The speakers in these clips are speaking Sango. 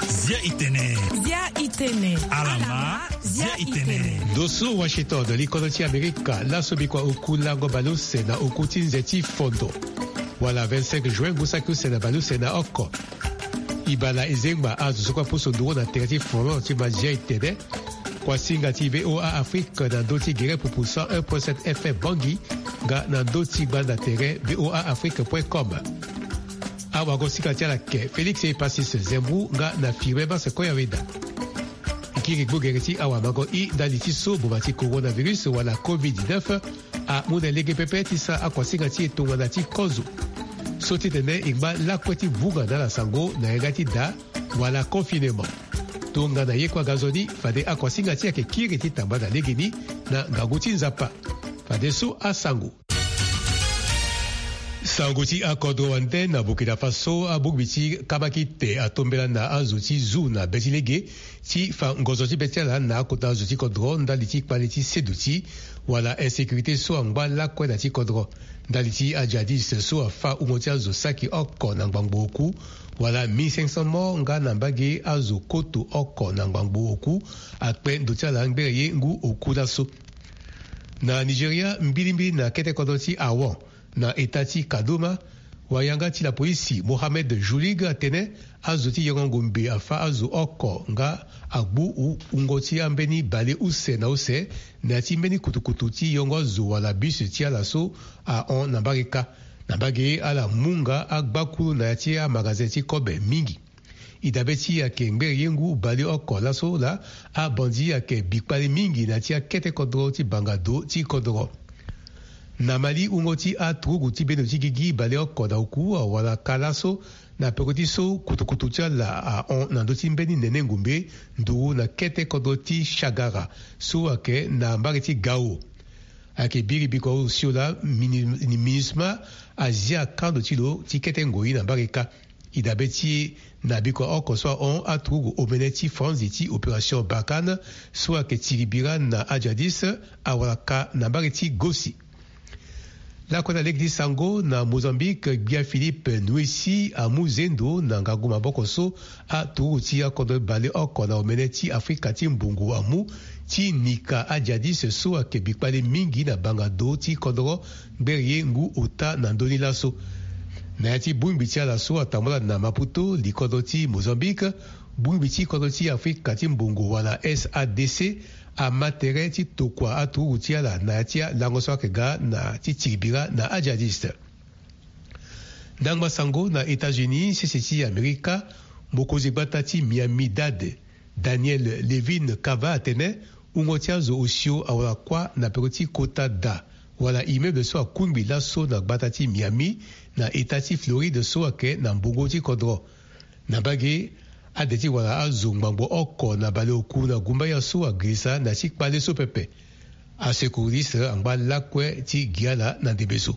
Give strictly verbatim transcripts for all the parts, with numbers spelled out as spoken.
Zia itene. Zia itene. Alama, zia itene. Doso Washington, likono ti Amerika, laso bikua oku lango baleuse na oku ti nze ti fondo. Wala vingt-cinq juin ngu saki use na baleuse na oko. Ibala ezengba azo so kue apusu nduru na tere ti fono ti mazia itene. Kuasinga ti V O A Afrique na ndö ti gere pupu cent un point sept F M Bangui, nga na ndö ti gbanda tere V O A Afrique point com. Awagosinga ti ala ke Félix Epacis Zembou nga na Firmin Basse Koyaweda. Kiri gbogere ti awamango i ndali ti so boma ti coronavirus wala covid dix-neuf amu na lege pepe ti sara akuasinga ti e tongana ti kozo. So ti tene e ngba lakue ti vunga na ala sango na yanga ti da wala confinement. Tongana ye kue aga nzoni, fade akuasinga ti e ayeke kiri ti tamba na legeni na ngangu ti Nzapa. Fadeso asango. Sango ti akodro wande na Burkina Faso, abongbi ti kamakite atombela na azo ti zu na be ti lege ti fa ngozo ti be ti ala na akota azo ti kodro ndali ti kpale ti seduti wala insécurité so angba lakue na ti kodro. Ndali ti ajadis so afa wungo ti azo saki oko na ngbangbo oku, wala mille cinq cents morts nga na mbage azo koto oko na ngbangbo oku, akpe ndo ti ala ngbere ye ngu oku laso. Na Nigeria, mbilimbili na kete kodro ti Awon, na eta ti Kaduna, wayanga ti lapolisi Mohammed Julig atene azo ti yongo ngombe afa azo oko nga agbu wu-, wungo ti ambeni bale use na use na ya ti mbeni kutukutu ti yongo azo wala bus ti ala so ahon na mbage kâ. Na mbage ala mu nga agbakulu na ya ti amagazin ti kobe mingi. E dabe ti e ayeke ngbere ye ngu baleoko laso laa, abandi ayeke bikpale mingi na ya ti akete kodro ti banga do ti kodro. Na Mali, wungo ti aturugu ti bendo ti gigi baleoko na oku awara kâ laso na peko ti so kutukutu ti ala ahon na ndö ti mbeni nene ngombe nduru na kete kodro ti Shagara so ayeke na mbage ti Gao. Ayeke biri bikua osio laa mini-, MINUSMA azia kando ti lo ti kete ngoi na mbage kâ. E dabe ti e na bikua oko so ahon aturugu omene ti franzi ti opération Barkhane so ayeke tiri bira na ajadis awara kâ na mbage ti Gossi. Lakue na lege ti sango na Mozambique, gbia Philippe Nwoesy amu zendo na ngangu maboko so aturugu ti akodro baleoko na omene ti Afrika ti mbongo amu ti nika ajadis so ayeke bikpale mingi na banga do ti kodro ngbere ye ngu ota na ndö ni laso. Na ya ti bongbi ti ala so atambula na Maputo, likodro ti Mozambique, bongbi ti kodro ti Afrika ti mbongo wala S A D C ama tere ti tokua aturugu ti ala na ya ti alango so ayeke ga na ti tiri bira na ajadis. Ndangba sango na États-Unis, sese ti Amerika, mokonzi gbata ti Miami-Dade, Daniel Levine Cava atene wungo ti azo osio awara kuâ na peko ti kota da wala immeuble so akungbi laso na gbata ti Miami na eta ti Floride so ayeke na mbongo ti kodro. Na mbage, ade ti wara azo ngbangbo oko na baleoku na gumbaya so agirisa na ya ti kpale so pepe. Asecouriste angba lakue ti gi ala na ndembe so.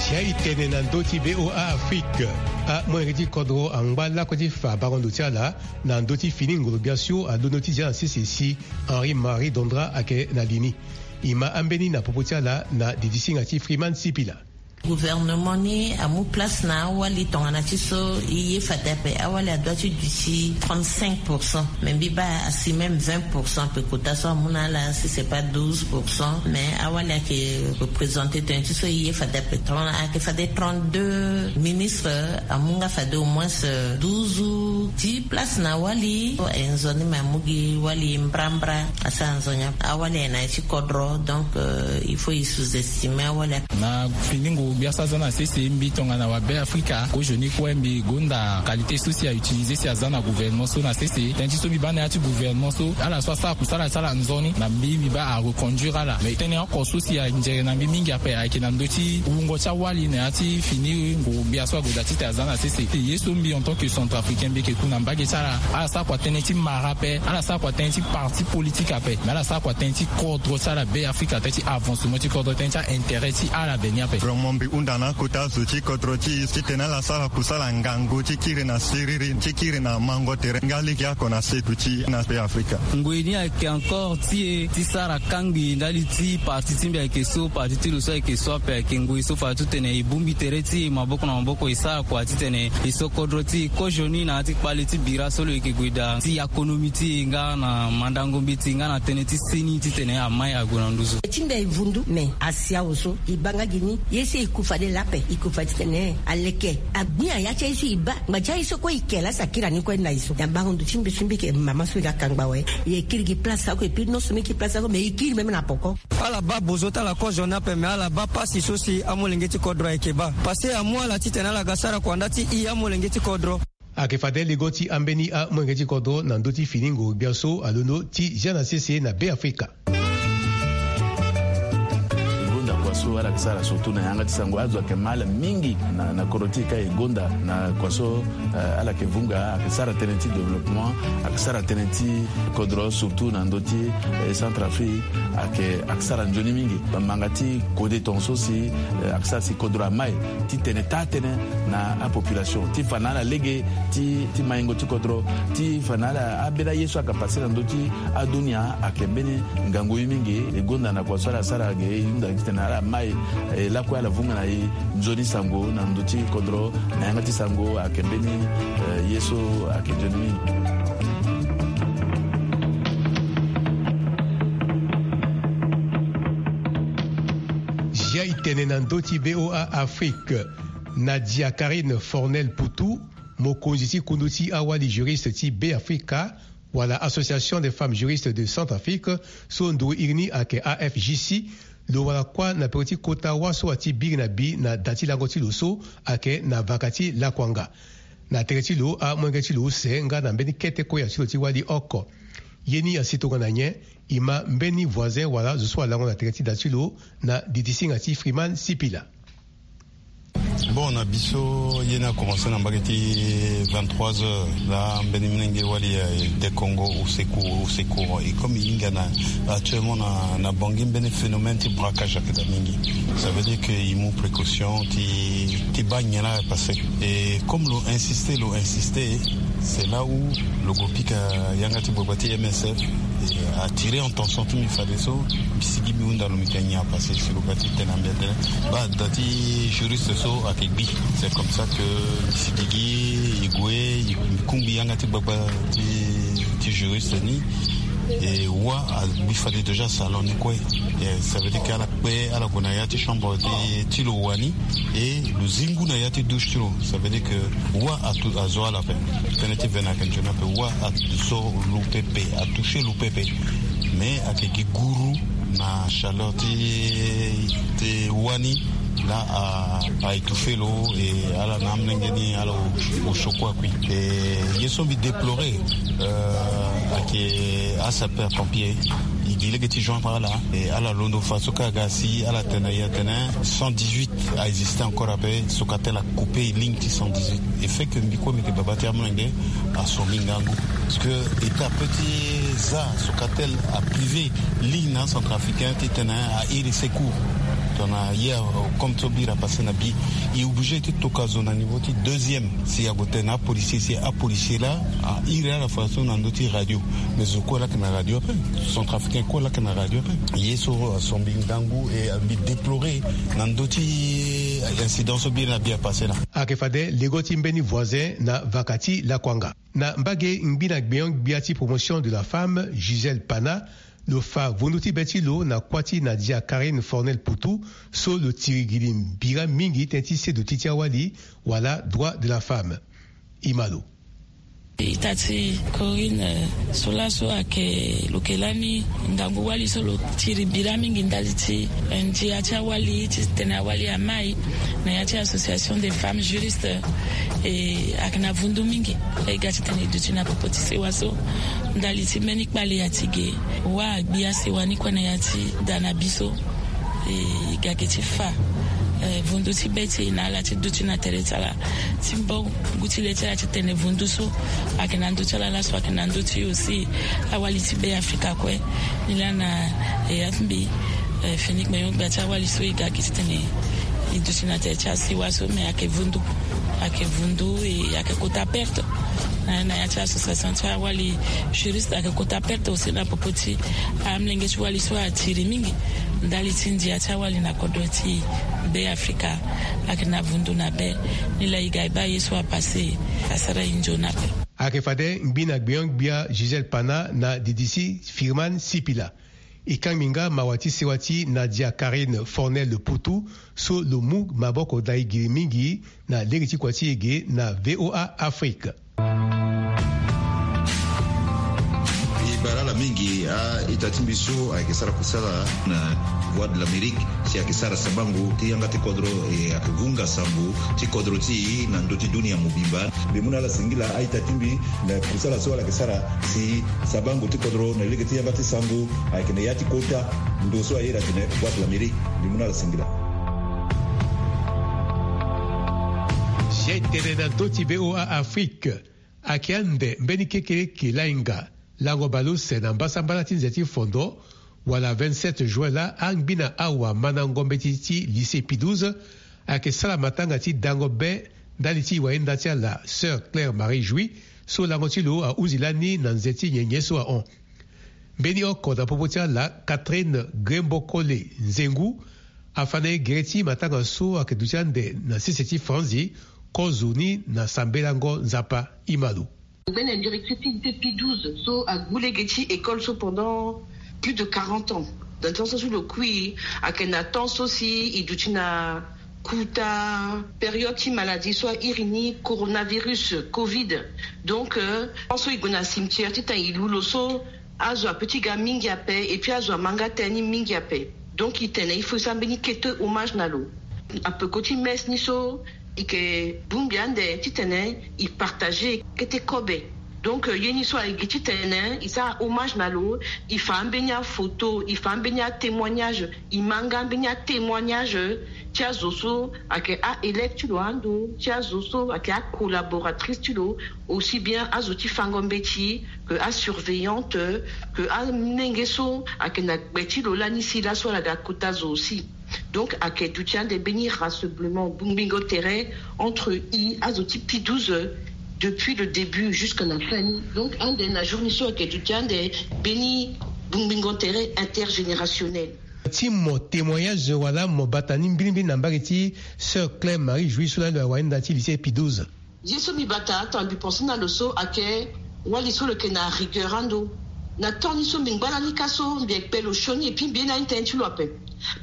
Sia e tene na ndö ti V O A Afrique. Amolenge ti kodro angba lakue ti fa bango ndo ti ala na ndö ti fini ngolo-gbia so alondo ti zia na sese si Henri Marie Dondra ayeke na li ni. E ma ambeni na popo ti ala na didisinga ti Freeman Sipila. Gouvernement ni amu place na awali tongana ti so e ye fade ape. Awali adoit ti duti trente-cinq pour cent. Mais mbi baa asi même vingt pour cent ape kota so amu na ala si c'est pas douze pour cent. Mais awali ayeke représenter tongana ti so e ye fade ape. Tongana ayeke fade trente-deux ministres, amu nga fade au moins, euh, douze ou dix places na awali. E nzoni me amu gi wali mbrambra. Asara nzoni ape. Awali ayeke na ya ti kodro. Donc, euh, il faut e sous-estimer awali ape. Na fini ngu Gbia so aza na sese mbi tongana wa Be Afrika, kozoni kue mbi gonda qualité so si a utiliser si aza na gouvernement so na sese. Tënë ti so mbi baa na ya ti gouvernement so, ala so asara kusala asara nzoni na mbi, mbi baa a reconduire ala. Mais tënë oko so si anzere na mbi mingi ape ayeke na ndö ti wungo ti awali na ya ti fini nguru-gbia so ague daa titene aza na sese. Ye so mbi en tant que centrafricain mbi yeke ku na mbage ti ala, ala sara kua tënë ti mara ape, ala sara kua tënë ti parti politique ape, mais ala sara kua tënë ti kodro ti ala Be Afrika, tënë ti avancement ti kodro, tënë ti a-intérêt ti ala Bénin ape. Vraiment mbi hunda na akota zo ti kodro ti e titene ala sara kusala ngangu ti kiri na siriri, ti kiri na mango tere nga lege oko na setu ti e na Be Afrika. Ngoi ni ayeke encore ti e ti sara kangbi ndali ti parti ti mbi ayeke so, parti ti lo so ayeke so ape. Ayeke ngoi so fade titene e bongbi tere ti e maboko na maboko, e sara kua titene e so kodro ti e kozoni na ya ti kpale ti bira so lo yeke gue daa ti akonomi ti e nga na mandango mbeti nga na tënë ti seni titene amai ague na nduzu. Ti mbi aye vundu, me asi awe so e baa nga gi ni, ye so e ku fade laa ape, e ku fade titene aleke agbia ya ti aye so e baa ngba ti aye so kue e ke laa si akiri ani kue na e so. Na bango ndo ti mbi so mbi yeke mama so mbi ga kangba awe. E kiri gi place oko, et puis non seulement e kiri place oko, mais e kiri même na poko. Ala baa bozo ti ala kozoni ape, me ala baa pasi so si amolenge ti kodro ayeke baa. Parce que amu ala titene ala ga sara kua nda ti e amolenge ti kodro. Ayeke fade lego ti ambeni amolenge ti kodro na ndö ti fini nguru-gbia so alondo ti zia na sese na Be Afrika. E gonda kua so ala yeke sara surtout na yanga ti sango, azo ayeke ma ala mingi na, na kodro ti e ka e gonda na kua so, eh, ala yeke vunga, ayeke sara tënë ti développement, ayeke sara tënë ti kodro surtout na ndö ti, eh, Centrafrique, ayeke, ayeke sara nzoni mingi. Bamanga ti kode tongaso si, eh, ayeke sara si kodro amai titene taa tënë na apopulation ti fa na ala lege ti, ti maingo ti kodro, ti fa na ala ambeni aye so ayeke pase na ndö ti adunia ayeke mbeni ngangu ye mingi. E gonda na kua so ala sara ge, e hunda titene ala mai, e lakue ala vunga na e nzoni sango na ndö ti kodro na yanga ti sango ayeke mbeni, eh, ye so ayeke nzoni mingi. Zia e tene na ndö ti V O A Afrique. Nadia Karine Fornel Poutou, mokonzi ti kundu ti awali juriste ti Be Afrika, wala Association des Femmes Juristes de Centrafrique, so nduru iri ni ayeke A F J C, lo wara kuâ na peko ti kota wâ so ati biri na bi na da ti lango ti lo so ayeke na vaka ti lakuanga. Na tere ti lo, amolenge ti lo use nga na mbeni kete koya ti lo ti wali oko. Ye ni asi tongana nyen? E ma mbeni voisin wala zo so alango na tere ti da ti lo na didi singa ti Freeman Sipila. Bon, na biso ye ni akomanse na mbage ti vingt-trois heures. Laa mbeni molenge wali, eh, de Congo au secours, au secours. Et comme e hinga na, actuellement na, na Bangui, mbeni phénomène ti braquage ayeke daa mingi. Ça veut dire que e mu précaution ti, ti baa nyen laa apassé. Et comme lo insister, lo insister, c'est là où lo gue pika yanga ti gbagba ti M S F, eh, attirer attention ti mbi fadeso mbi sigi mbi hunda lo, mbi tene nyen apassé. Si lo ga ti tene na mbi atene, baa da ti juriste so ayeke gbi. C'est comme ça que mbi sigi gi, e gue, e kungbi yanga ti gbagba ti, ti juriste ni. E wâ agbi fade déjà salon ni kue. Eh, ça veut dire que ala kpe, ala gue na ya ti chambre ti, ti lo wani. E lo zi ngu na ya ti douche ti lo. Ça veut dire que wâ atu, azo ala ape. Tënë ti vene ayeke nzoni ape. Wâ azo lo pepe, atouché lo pepe. Mais ayeke gi guru na chaleur ti, ti wâ ni. Laa a, a étouffé lo, e ala na amolenge ni ala o, o choqué akui. E ye so mbi déplorer, euh, ayeke asapeur pompier. E gi lege ti joindre ala. E ala londo fa so kâ aga si ala tene na e atene cent dix-huit a existé encore ape, Socatel a coupé ligne ti cent dix-huit. E fait que mbi kue mbi yeke baba ti amolenge, aso mbi ngangu. Parce que état peut ti za Socatel a privé ligne na acentrafricain titene a iri secours. Tongana ye, euh, comme so bira passé na bi, e obligé ti toka zo na niveau ti deuxième. Si ague tene na apolicier, si apolicier laa a iri ala fadeso na ndö ti radio. Mais zo kue laa ayeke na radio ape. Centrafricain kue laa ayeke na radio ape. Ye so aso mbi ngangu, e mbi déplorer na ndö ti incident so biri na bi apassé laa. Ayeke fade lego ti mbeni voisin na vaka ti lakuanga. Na mbage ngbi na gbenyo-gbia ti promotion de la femme, Gisèle Pana, lo fa vundu ti be ti lo na kuâ ti Nadia Karine Fornel Poutou, so lo tiri gi li mbira mingi tënë ti seduti ti awali, wala droit de la femme. E ma lo. Ita ti Corinne, eh, so laso ayeke lo yeke lani ngangu wali so lo tiri bira mingi ndali ti, eh, ndia ti awali titene awali amai na ya ti Association des femmes juristes. E ayeke na vundu mingi. E ga titene e duti na popo ti sewa so ndali ti mbeni kpale ya ti ge wâ agbi asewa ni kue na ya ti da na bi so. E ga ge ti fa, eh, vundu ti be ti e na ala ti duti na tere ti ala ti mbo ngu ti le ti ala titene vundu so ayeke na ndö ti ala laso ayeke na ndö ti e aussi. Awali ti be Afrika kue. Nilaa na, eh, ya ti mbi, eh, fini kpenyo gbia ti awali so e ga ge titene e duti na tere ti asewa so, mais ayeke vundu. Ayeke vundu, e ayeke kota perte. Na, na ya ti association ti awali juriste ayeke kota perte aussi na popo ti amolenge ti wali so atiri mingi ndali ti ndia ti awali na kodro ti Be Afrika. Ayeke na vundu na be. Nilaa e ga e baa ye so apasse, asara e nzoni ape. Ayeke fade ngbi na gbenyo-gbia Gisèle Pana na didisi Firman Sipila. E kangbi nga mawa ti sewa ti Nadia Karine Fornel Poutou so lo mu maboko da e giri mingi na lege ti kua ti e ge na V O A Afrique. E bara ala mingi, a-ita ti mbi so ayeke sara kusala na Voix de l'Amérique, si ayeke sara sabango ti yanga ti kodro, e ayeke vunga sango ti kodro ti e na ndö ti dunia mobimba. Mbi mu na ala singila, a-ita ti mbi, na kusala so ala yeke sara si sabango ti kodro na lege ti yanga ti sango ayeke na ya ti kota ndo so a iri atene Voix de l'Amérique. Mbi mu na ala singila. Si e tene na ndö ti V O A Afrique, ayeke ande mbeni kekereke lainga lango baleuse na mbasambala ti nze ti fondo, wala vingt-sept juin laa, angbi na awa mandango mbeti ti lycée Pie douze ayeke sara matanga ti dango be ndali ti e wayenda ti ala, Sœur Claire Marie Jouy, so lango ti lo ahuzi lani na nze ti nyenye so ahon. Mbeni oko na popo ti ala, Catherine Grembokole Nzengu, afa na e gere ti matanga so ayeke duti ande na sese ti franzi, kozo ni na sambelango Nzapa. E ma lo. Mbeni directrice ti lycée Pie douze so agbu lege ti école so pendant plus de quarante ans. Dans le temps so si lo kui, ayeke na temps so si e duti na kota période ti maladie so a iri ni coronavirus, covid. Donc, euh, temps so e gue na cimetière ti tene e lu lo so, azo ape ti ga mingi ape, et puis azo ama nga tënë ni mingi ape. Donc e tene il faut e sara mbeni kete hommage na lo. Apeko ti messe ni so, e yeke bongbi ande titene e partager kete kobe. Donc, euh, ye ni so ayeke gi titene e sara hommage na lo, e fa ambeni aphoto, e fa ambeni atémoignage, e ma nga ambeni atémoignage ti azo so ayeke a-élève ti lo ando, ti azo so ayeke acollaboratrice ti lo, aussi bien azo ti fango mbeti, que asurveillante, que amolenge so ayeke na gbe ti lo lani si laso ala ga kota zo aussi. Donc ayeke duti ande mbeni rassemblement, bongbingo tere entre e azo ti Pie douze depuis le début jusque na fin ni. Donc ande na jour ni so ayeke duti ande mbeni bongbingo tere intergénérationnel. Ti mo témoignage wala mo bata ni mbirimbiri na mbage ti Sœur Claire Marie Jouy so lani lo aye wayenda ti lycée Pie douze. Ye so mbi bata tongana mbi pense na lo so ayeke wali so lo yeke na rigueur ando. Na temps ni so mbi ngba lani ka so mbi yeke kpe lo sioni, et puis mbi ye na ni tënë ti lo ape.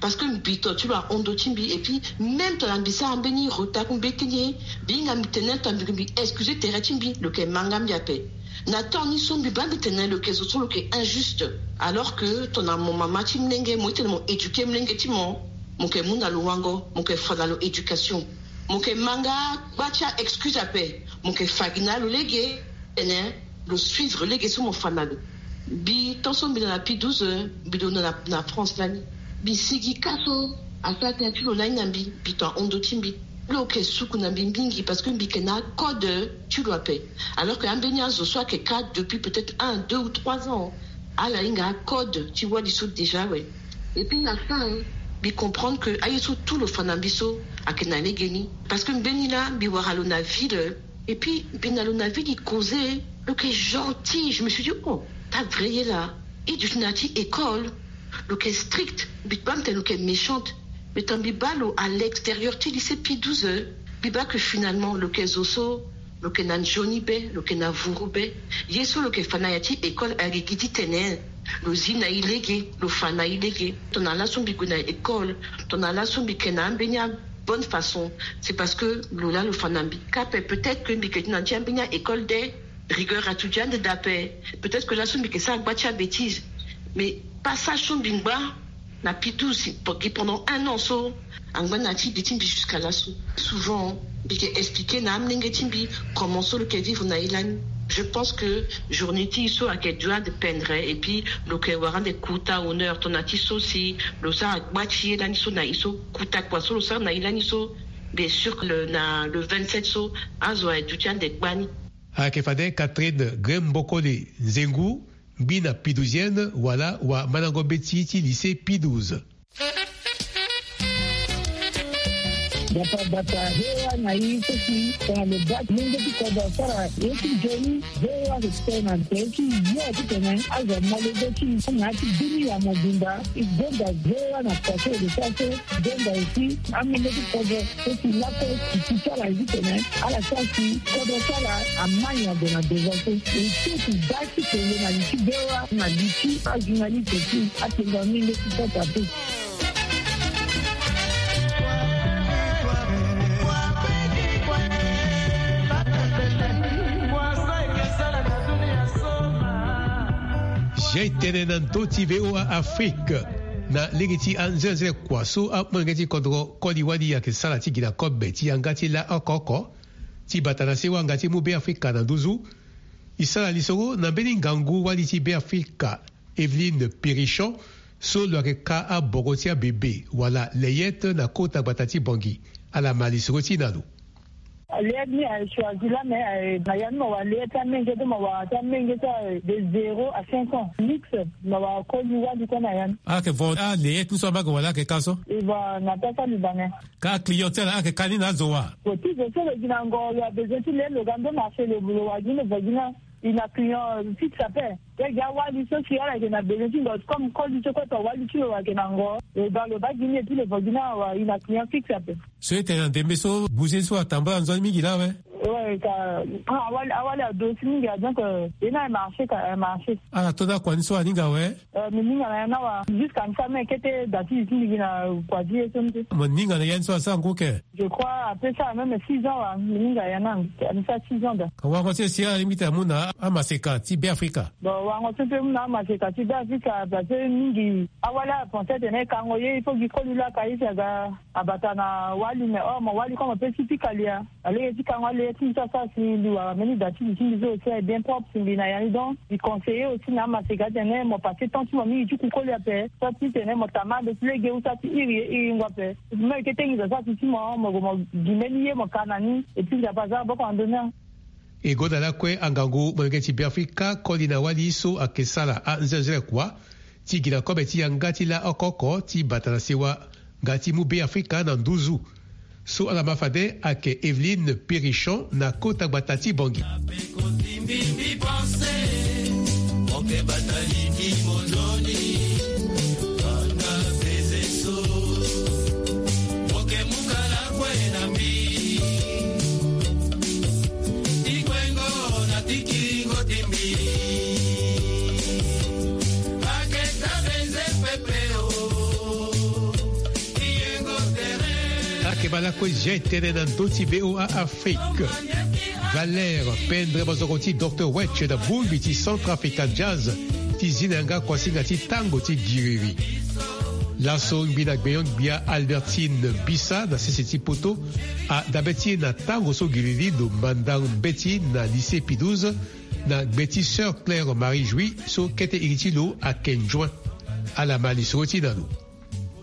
Parce que mbi to ti lo ahon ndo ti mbi, et puis même tongana mbi sara mbeni retard ku mbeti ni, mbi hinga mbi tene tongana mbi, mbi excuse tere ti mbi, lo yeke ma nga mbi ape. Na temps ni so mbi baa mbi tene lo yeke zo so lo yeke injuste. Alors que tongana mo mama ti molenge, mo ye tene mo éduquer molenge ti mo, mo yeke mu na lo wango, mo yeke fa na lo éducation. Mo yeke ma nga gba ti a-excuse ape. Mo yeke fa gi na lo lege, tene lo suivre lege so mo fa na lo. Mbi tant so mbi na na Pie douze, mbi lo na, na France lani. Mbi sigi ka so asara tënë ti lo lani na mbi, mbi to ahon ndo ti mbi. Lo yeke suku na mbi mingi parce que mbi yeke na acode ti lo ape. Alors que ambeni azo so ayeke ka depuis peut-être un, deux ou trois ans, ala hinga acode ti wali so déjà awe. Et puis na fin, mbi comprendre que aye so tout lo fa na mbi so ayeke na lege ni. Parce que mbeni laa mbi wara lo na ville, et puis mbi na lo na ville e causer, lo yeke gentil. Je me suis dit, oh, ta vrai ye laa. E duti na ya ti école, lo yeke strict, mbi baa mbi tene lo yeke méchante. Mais tongana mbi baa lo à l'extérieur ti lycée Pie douze, mbi baa que finalement lo yeke zo so lo yeke na nzoni be, lo yeke na vuru be. Ye so lo yeke fa na ya ti école ayeke gi titene lo zi na e lege, lo fa na e lege. Tongana laso mbi gue na école, tongana laso mbi yeke na ambeni abonne façon, c'est parce que lo laa lo fa na mbi. Ka ape, peut-être que mbi yeke ti na ti ambeni a-école de Rigueur atuti ande dape. Peut-être que laso mbi ke sara gba ti abétise, mais passage so mbi ngba na P douze gi pendant un an so, angba na ti di ti mbi jusqu'à laso. Souvent mbi ke expliquer na amolenge ti mbi comment so lo ke vivre na ye lani. Je pense que journée ti e so ayeke dua ande pendre, et puis lo ke wara ande kota honneur tongana ti so si lo sara gba ti ye lani so na e so, kota kua so lo sara na ye lani so. Bien sûr que le, na le vingt-sept so, azo aye duti ande gbani. Ayeke fade Catherine Grembokole Nzengu, ngbina P douzienne wala wamandango mbeti ti lycée P douze. Bata bata, V O A na e so si tongana lo baa ti lenge ti kodro asara ye ti nzoni, V O A ayeke tene na tere ti yo titene azo amolenge ti e na ya ti bini ya mobimba. E gonda V O A na kua so e lo sara so, e gonda aussi amolenge ti kodro so si lakue e ti ti ala ye titene ala sara si kodro ti ala ama nyango na devant so. E so e ti baa ti kele na li ti V O A na li ti ajournaliste ti atengo amolenge ti kota pe. Zia e tene na ndö ti V O A Afrique. Na lege ti anzenze kua so amolenge ti kodro koli wali ayeke sara ti gi na kobe ti yanga ti la oko oko ti bata na sewa nga ti mu Beafrika na nduzu. E sara lisoro na mbeni ngangu wali ti Beafrika, Evelyne Pirichon, so lo yeke ka aboro ti abebe wala layette na kota gbata ti Bangui. Ala ma lisoro ti e na lo. Layette ni aye choisi la, mais aye na ya ni mo wara layette ti amenge, ti mo wara ti amenge ti aye de zéro à cinq ans. Mix, mo wara koli wali kue na ya ni. Ayeke vo alayette ni so amage wala ayeke ka so? E vo na pesa libanais. Ka client ti ala ayeke ka ni na azo wa? Vo ti zo so lo gi na ngo, lo a besoin ti le lo ga ndo marché, lo wara gi ni, lo vo gi ni. E na client fixe ape. Lege awali so si ala yeke na besoin ti ngo, comme koli so kue, awali ti lo ayeke na ngo, lo ga lo baa gi ni, et puis lo vo gi ni awa, e na client fixe ape. So e tene na ndembe so bougie so atambula nzoni mingi laa awe? Ouais, ka, ah, awali, awali ado si mingi, ah, donc, euh, e na marché ka, eh, marché. Ala to na kua ni so aninga awe? Euh, mbi ninga na ya ni awa. Jusqu'à ça, mais kete da ti zi ti mbi gi na kua ti ye so ni te. Mo ninga na ya ni so asara ngu ke? Je crois, après ça, même six ans, wa, mbi ninga ya ni, ça six ans da. Ka warango ti e si alingbi ti amu na amaseka ti Beafrika? Bon, warango ti e mpe mu na amaseka ti Beafrika, parce que mingi awali apenser atene e kango ye, il faut gi koli laa ka ye si aga abata na wali, mais or mo wali comme ape ti pika li ya. Alege ti kango alege ti mbi so asara si mbi wara mbeni da ti li ti mbi so aussi aye bien propre si mbi na ya ni. Donc mbi conseiller aussi na amaseka atene mo passer temps ti mo mingi ti ku koli ape, so ti tene mo tama ande ti lege ou so ti iri ye iringo ape. Mo yeke tengi zo asara si ti mo, mo gue mo gi mbeni ye mo ka na ni, et puis Nzapa azia maboko na ndö ni. E gonda lakue angangu molenge ti Beafrika koli na wali so ayeke sara anzenze kua ti gi na kobe ti yanga ti la oko oko ti bata na sewa nga ti mu Beafrika na nduzu. So ala ma fade ayeke Evelyne Pirichon na kota gbata ti Bangui. Ayeke baa lakue zia e tene na ndö ti V O A Afrique. Valère Pendre, mozoko ti Docteur Wetch na bongbi ti Centrafrican Jazz, ti zi na yanga kuasinga ti tango ti giriri. Laso ngbi na gbenyo-gbia Albertine Bisa na sese ti poto, adabe ti e na tango so giriri lo manda mbeti na lycée Pie douze, na gbe ti Sœur Claire Marie Jouy so kete iri ti lo ayeke nzuen. Ala ma lisoro ti e na lo.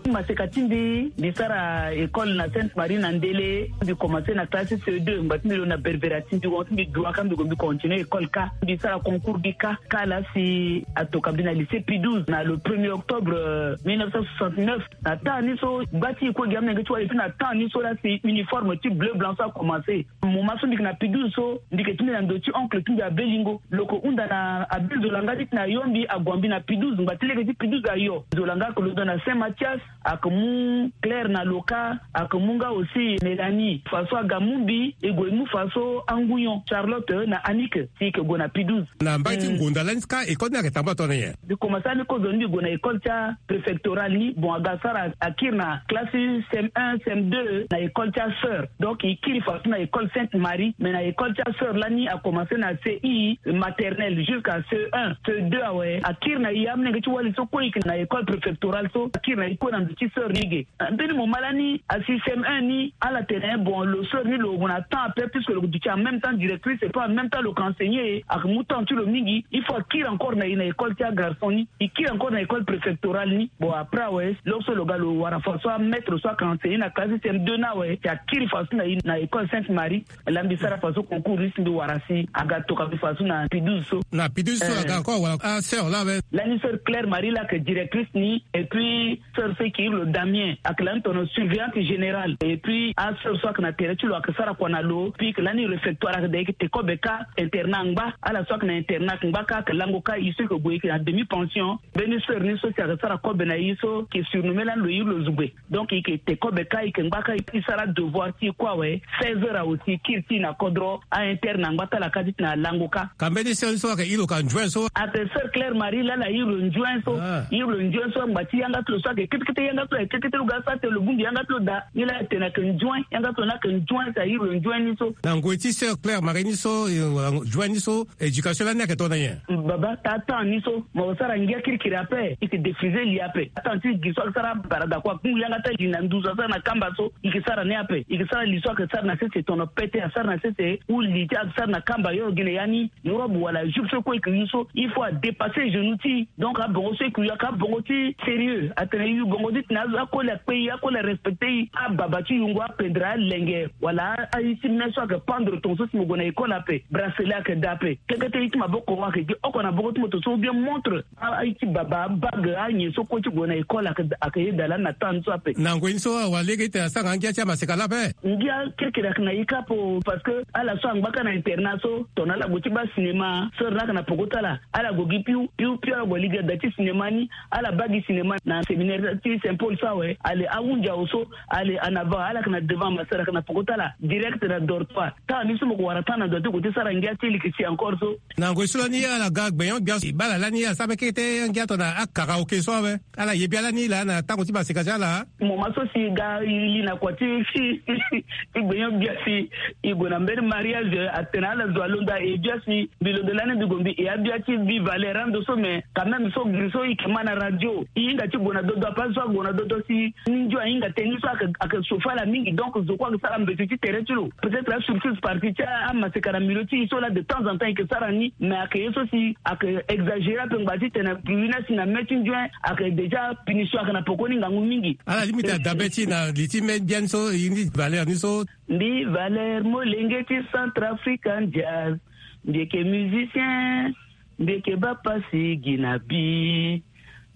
Maseka ti mbi, mbi sara école na Sainte Marie na Ndele. Mbi commencer na classe C E deux, ngba ti mbi lo na Berbera ti mbi, won ti mbi dua ka mbi gue mbi continuer école ka. Mbi sara concours gi ka, ka la si atoka mbi na lycée Pie douze na le premier octobre, euh, mille neuf cent soixante-neuf. Na temps ni so gba ti e kue gi amolenge ti wali, et puis na temps ni so la si uniforme ti bleu blanc so a commencer. Moment so mbi yeke na Pie douze so, mbi yeke ti mbi na ndo ti oncle ti mbi Abe Lingo. Lo yeke hunda na Abe Nzolanga ti tene ayo mbi, ague mbi na Pie douze, ngba ti lege ti Pie douze ayo. Nzolanga ayeke londo na Saint Mathias. Ake mu Claire na Loka, ake mu nga aussi Mélanie. Faso aga mu mbi, e gue mu faso angunyon Charlotte na Annick, si ke gue na Pidouze. Na mbai ti ngonda lani ka école ni ake tambula tongana nyen? Mbi commence ni kozo ni, mbi gue na école ti a préfectorale ni. Bon, aga sara, akiri na classe C M un, C M deux na école ti a sœur. Donc i kiri faso na école Sainte Marie, mais na école ti a sœur lani a commence na C I maternelle jusqu'à C un, C deux awe. Akiri na i amolenge ti wali so kue i ke na école préfectorale so, akiri na i kue na ndo ti sœur ni ge. Mbeni moment lani asi C M un ni, ala tene bon, lo sœur ni lo gue na temps ape, puisque lo duti en même temps directrice et puis en même temps lo ke enseigner, ake mu temps ti lo mingi. Il faut akiri encore na i na école ti a garçon ni, i kiri encore na école préfectorale ni. Bon, après awe, lo so lo ga lo wara faso amaître so ake enseigner na classe C M deux ni awe, si akiri faso na i na école Sainte Marie. Lani mbi sara faso concours ni si mbi wara si aga toka mbi faso na Pidouze so. Na Pidouze so aga encore wara asœur laa awe? Lani sœur Claire Marie laa ake directrice ni, et puis sœur so e ke iri lo Damien, ake lani tono surveillante générale. Et puis asœur so ake na tere ti lo ake sara kua na lo. Puis ke lani réfectoire, ake da i ke te kobe ka internat angba. Ala so ake na internat angba ka ake lango ka, i so i ke gue i ke na demi pension. Mbeni sœur ni so si ake sara kobe na i so ke surnommé lani lo iri lo Zugbe. Donc i ke te kobe ka, i ke ngba ka, i sara devoir ti i kue awe. Seize heures awe si i kiri ti i na kodro, a internat angba ti ala ka ti tena alango ka. Ka mbeni sœur ni so ake iri lo ka Njouen so? Ake sœur Claire Marie laa ala iri lo Njouen so. Ah. Iri lo Njouen so, angba ti yanga ti lo so ake kete kete yanga ti lo, ake kete kete lo ga sara tene lo bongbi yanga ti lo daa. Ni laa atene ake Njouen, yanga ti lo ni ake Njouen, si a iri lo Njouen ni so. Na ngoi ti sœur Claire Marie ni so, eh, Njouen ni so, éducation lani ake tongana nyen? Baba, taa temps ni so mo sara ngia kirikiri ape, i ke défriser li ape. Temps ti gi so ake sara barada kua, kungu yanga ti ali na nduzu asara na kamba so, i ke sara ni ape. I ke sara li so ake sara na sese tono pete, asara na sese, ou li ti ake sara na kamba yo gene ya ni, robe wala jupe so kue i ke yu so, il faut adépasser genou ti i. Donc abongo so i ke yu ake abongo ti sérieux. Atene i yu bongo ti tena azo akoli akpe i, akoli arespecter i. Ababa ti yungo apendre alenge wala a-iti me so ake pendre tongaso si mo gue na école ape, bracelet ake daa ape. Kekete i ti maboko ake gi oko na boko ti moto so ou bien montre, a-iti baba, abague, anyen so kue ti gue na école ake, ake yeda lani na temps ni so ape. Na ngoi ni so awa lege ti tene asara nga ngia ti amaseka laa ape? Ngia kirikiri ake na i ka ape, parce que ala so angba ka na internat so, tongana ala gue ti baa cinéma, sœur ni ake na peko ti ala, ala gue gi piu piu piu, ala gue lege da ti cinéma ni. Ala baa gi cinéma na séminaire ti Saint Paul so awe. Ale ahunzi awe so, ale en avant, ala ake na devant, ma sœur ake na peko ti ala direct na dortoir. Temps ni so mo ke wara temps na ndo ti gue ti sara ngia ti leke si encore so. Na ngoi so lani ala ga gbenyo-gbia si baa ala lani ala sara mbeni kete ngia tongana akaraoke so awe. Ala ye bia lani laa na tango ti maseka ti ala? Moment so si i ga i li na kua ti, ti gbenyo-gbia si i gue na mbeni mariage, atene ala zo alonda e bia si mbi londo lani mbi gue mbi e abia ti Viva Air ando so, mais quand même so giri so i ke ma na radio, i hinga ti gue na dodo ape, azo ague na dodo si ni ndio ahinga tënë ni so ake, ake sofa ala mingi. Donc zo kue ake sara mbeti ti tere ti lo. Peut-être asurtout partie ti amaseka na milieu ti i so laa de temps en temps i ke sara ni, mais ake ye so si ake exagérer ape ngba ti tene puni na si na me ti ndio ake déjà punition ake na pekoni ngangu mingi. Ala lingbi ti adabe ti na li ti me biani so, i ni Valère ni so. Mbi Valère molenge ti Centrafricain Jazz, mbi yeke musicien, mbi yeke baa pasi gi na bi.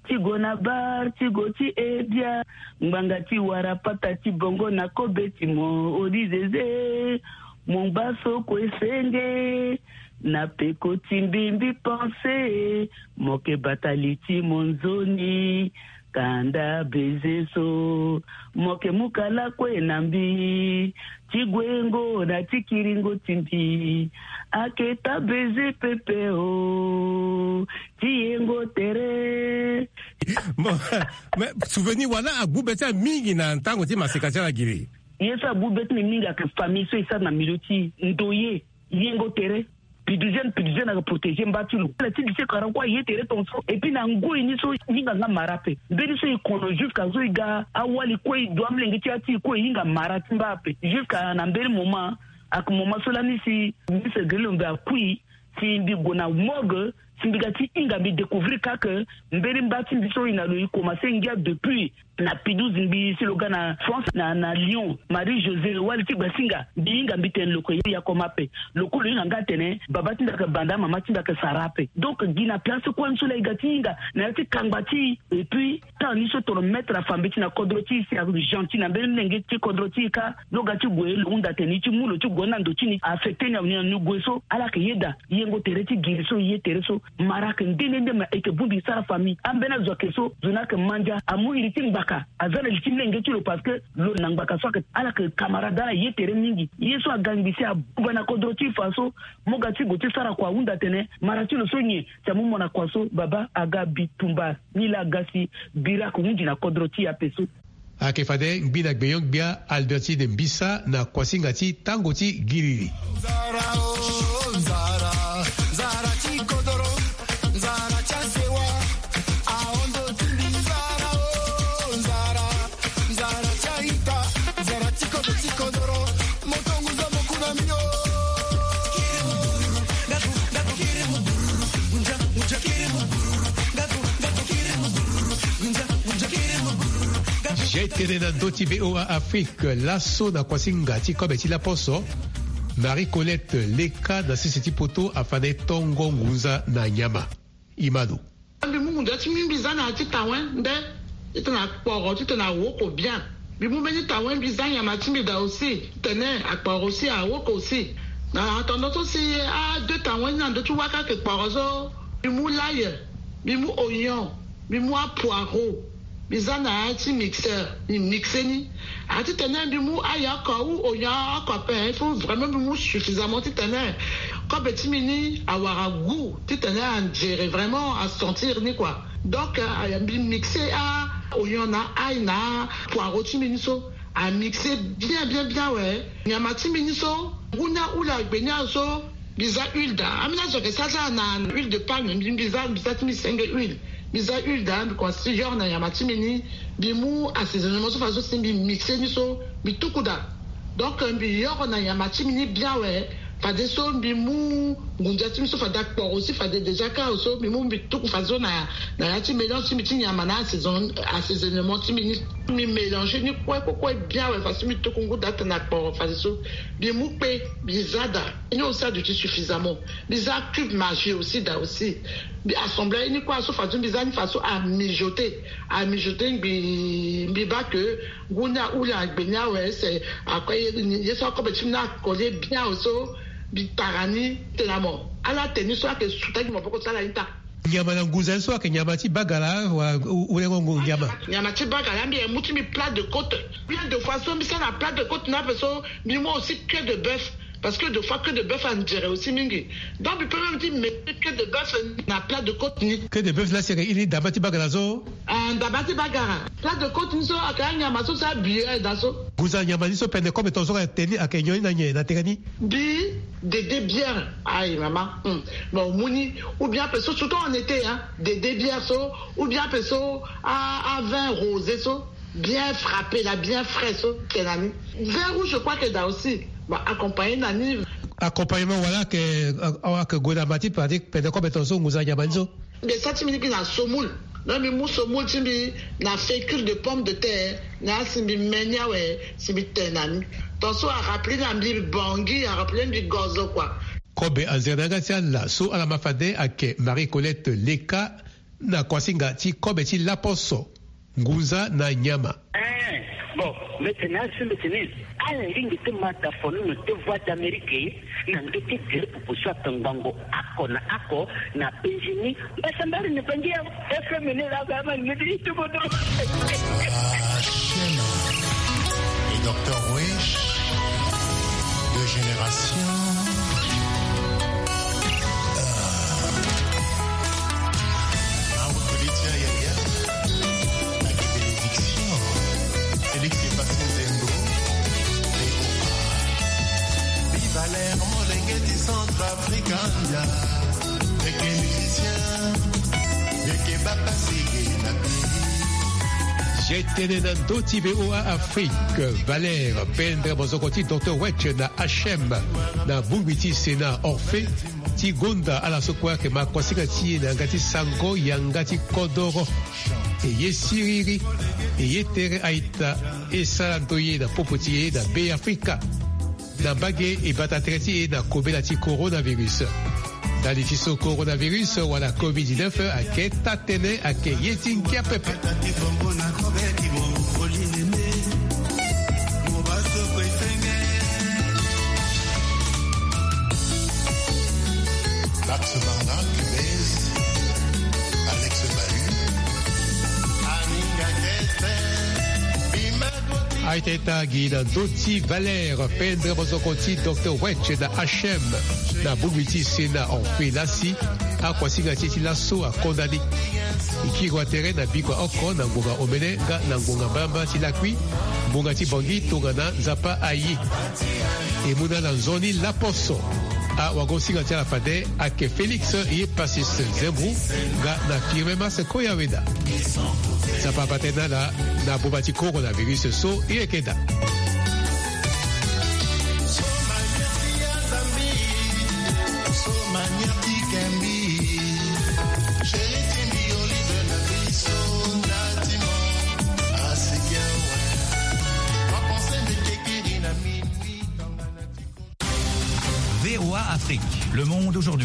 Ti gue na bar, ti gue ti e bia, ngbanga ti wara pata ti bongo na kobe ti mo, odi zeze. Mo ngba so kue senge, na peko ti mbi mbi pense, mo yeke bata li ti mo nzoni. Kanda beze so, mo yeke mu kala kue na mbi, ti guengo na ti kiringo ti mbi. Ayeke taa beze pepe o, ti yengo tere. Bon, mais souvenir wala agbu be ti ala mingi na tango ti maseka ti ala giri? Ye so agbu be ti mbi mingi ayeke famille so e sara na milieu ti ndoye, yengo tere. Pidouzienne, Pidouzienne ayeke protéger mba ti lo. Ala ti lycée Karakou aye tere tongaso. Et puis na ngoi ni so e hinga nga mara ape. Mbeni so e kono jusqu'à so e ga awali kue, e du amolenge ti ya ti e kue, e hinga mara ti mba ape. Jusqu'à na mbeni moment, ayeke moment so lani si Miss Grillo mbi akui, si mbi gue na morgue, si mbi ga ti hinga mbi découvrir kâ que mbeni mba ti mbi so e na lo e commencer ngia depuis na Pidouze, mbi si lo ga na France, na, na Lyon, Marie José, wali ti Gbasinga, mbi hinga mbi tene lo yeke ya koma ape. Lo kue lo hinga nga atene baba ti mbi ayeke banda, mama ti mbi ayeke sara ape. Donc gi na place kue ni so laa e ga ti hinga na ya ti kangba ti e. Et puis temps ni so tongana maître afa mbeti na kodro ti e si ayeke gentil na mbeni molenge ti kodro ti e kâ, lo ga ti gue lo hunda tene e ti mu lo ti gue ni na ndo ti ni, affecter ni awe ni na ni gue so. Ala yeke yeda yengo tere ti giri so, ye tere so. Mara ayeke nde nde nde ma e yeke bongbi sara famille. Ambeni azo ayeke so, zo ni ayeke mandia, amu iri ti ngbaka, aza na li ti lenge ti lo parce que lo na ngbaka so ayeke ala yeke camarade ala ye tere mingi. Ye so aga ngbi si abuba na kodro ti e fa so, mo ga ti gue ti sara kua ahunda atene mara ti lo so nyen? Si amu mo na kua so, baba aga bitumba. Ni laa aga si bira ayeke hunzi na kodro ti e ape so. Ayeke fade ngbi na gbenyo-gbia Albertine Mbisa na kuasinga ti tango ti giriri. Nzara o, nzara, nzara ti kodoro, nzara ti asewa, ahondo ti mbi nzara o, nzara, nzara ti a-ita, nzara ti kodro ti kodoro, moto ngu zo mo ku na mbi o. Jetene na ndö ti V O A Afrique, laso na kuasinga ti kobe ti laposo, Marie Colette Leka na sese ti poto afa na e tongo ngunza na nyama. Imano. Mbi mu ngunza ti mbi, mbi za na ya ti tawen nde, titene akporo, titene awoko bien. Mbi mu mbeni tawen, mbi za nyama ti mbi daa aussi, titene akporo aussi, awoko aussi. Na tongana so si a deux tawen ni na ndö ti waka ayeke kporo so, mbi mu l'ail, mbi mu oignon, mbi mu apoireau, mbi za na ya ti mixeur, mbi mixe ni. A titene mbi mu ail oko ou oignon oko ape, il faut vraiment mbi mu suffisamment titene kobe ti mbi ni awara goût, titene anzere vraiment asentir ni quoi. Donc, euh, mbi mixe a oignon na ail na poireau ti mbi ni so. Amixe bien, bien, bien, ouais. Nyama ti mbi ni so, ngu ni ahula gbe ni azo, mbi za huile daa. Ambeni azo ayeke sara na huile de palme, mbi, mbi za, mbi za ti mbi senge huile. Mbi za huile daa, mbi komanse ti yoro na nyama ti mbi ni, mbi mu assaisonnement so fadeso si mbi mixe ni so, mbi tuku daa. Donc, mbi yoro na nyama ti mbi ni bien, ouais. Fadeso mbi mu ngunza ti mbi so fade akporo aussi, fade déjà kâ so mbi mu mbi tuku fadeso na, na ya ti mélange ti mbi ti nyama na assaison-, assaisonnement ti mbi ni. Mbi mélange ni kue, kue, kue bien, ouais, fadeso mbi tuku ngu daa tene akporo fadeso. Mbi mu kpe, mbi za daa. Ni aussi aduti suffisamment. Mbi za cube Maggi aussi daa aussi. Mbi assemble ni kue so fadeso mbi za ni fadeso amijoter. Amijoter mbi, mbi baa que ngu ni ahula gbe ni awe, c'est après ye so akobe ti mbi ni akole bien awe so, mbi tara ni tene amo. Ala tene ni so ayeke su taki maboko ti ala ni taa. Nyama na ngunza ni so ayeke nyama ti bagala wala u-, ulengo ngu nyama? Nyama ti bagala, mbi mu ti mbi plat de côte. Bien de fois so mbi sara na plat de côte ni ape so, mbi mu aussi queue de bœuf. Parce que de fois queue de bœuf anzere aussi mingi. Donc mbi peut même ti mettre queue de bœuf na plat de côte ni. Queue de bœuf la si ayeke iri ndamba ti bagala so? Ah, ndamba ti bagala. Plat de côte ni so ayeke anyama so si abiye daa so. Ngunza nyama ni so pende kobe tongaso ayeke tene ni, ayeke nyon ni na nyen na tere ni? Mbi dede bien. Ayi mama. Hmm. Bon, mu ni. Ou bien ape so, surtout en été, hein. Dede bien so. Ou bien ape so a, a vin rosé so. Bien frappé là, bien frais so, tene na ni. Vin rouge, je crois que daa aussi. Bon, accompagné na ni. Accompagnement, voilà, que, euh, que gue na mba ti pratique, pende kobe tongaso ngunza nyama ni so. Mbi sa ti mbi ni mbi na semoule. Donc mbi mu semoule ti mbi na fécule de pomme de terre, na si mbi me ni awe, si mbi tene na ni. Tongaso arappelé na mbi Bangui, arappelé mbi Gozo quoi. Kobe anzere na yanga ti ala so ala ma fade ayeke Marie Colette Leka, na kuasinga ti kobe ti laposo, ngunza na nyama. Eh, bon, mbi tene asi mbi tene, ala lingbi ti ma da fono na te Voix d'Amérique, na ndö ti gere pupu so ayeke ngbongo oko na oko na Benjini. Mbasambari ni Bangi ya F M ni la ga ma ni ti ti bodo. Ah, Shema. Et docteur Wesh, deux générations. Mamu Felicia Yaya, la bénédiction. Félix Passé Zembo, V O A. Viva l'air, molenge du Centrafrique, anja. Beke musicien, beke bapasige na pays. Jetene na ndö ti V O A Afrique, Valère, pendre mozoko ti docteur Wetch na H M, na bongbi ti Sénat Orphée, ti gonda ala so kue ayeke ma kuasinga ti e na yanga ti sango yanga ti kodoro. E ye siriri, e ye tere a-ita, e sara ndo ye na popo ti e na Be Afrika. Na mbage e bata tere ti e na kobela ti coronavirus. Ndali ti so coronavirus wala covid dix-neuf ayeke taa tënë, ayeke ye ti ngia pepe. Max Barna, Cubez, Alex Bahu. Aita ita gi na ndö ti Valère Pendre, mosoko ti Docteur Wetch na H M, na bongbi ti Sénat Orphée Lassi. Akuasinga ti e ti laso akonda ni. E kiri wa tere na bikua oko na ngonga omene nga na ngonga mbalambala ti lakui, ngbonga ti Bangui tongana Nzapa aye. E mu na ala nzoni laposo. Awagosinga ti ala fade ayeke Félix Yepassis Zembou nga na Firmin Mars Koyaweda. Nzapa abata na ala na boma ti coronavirus so e yeke daa. V O A Afrique, le monde aujourd'hui.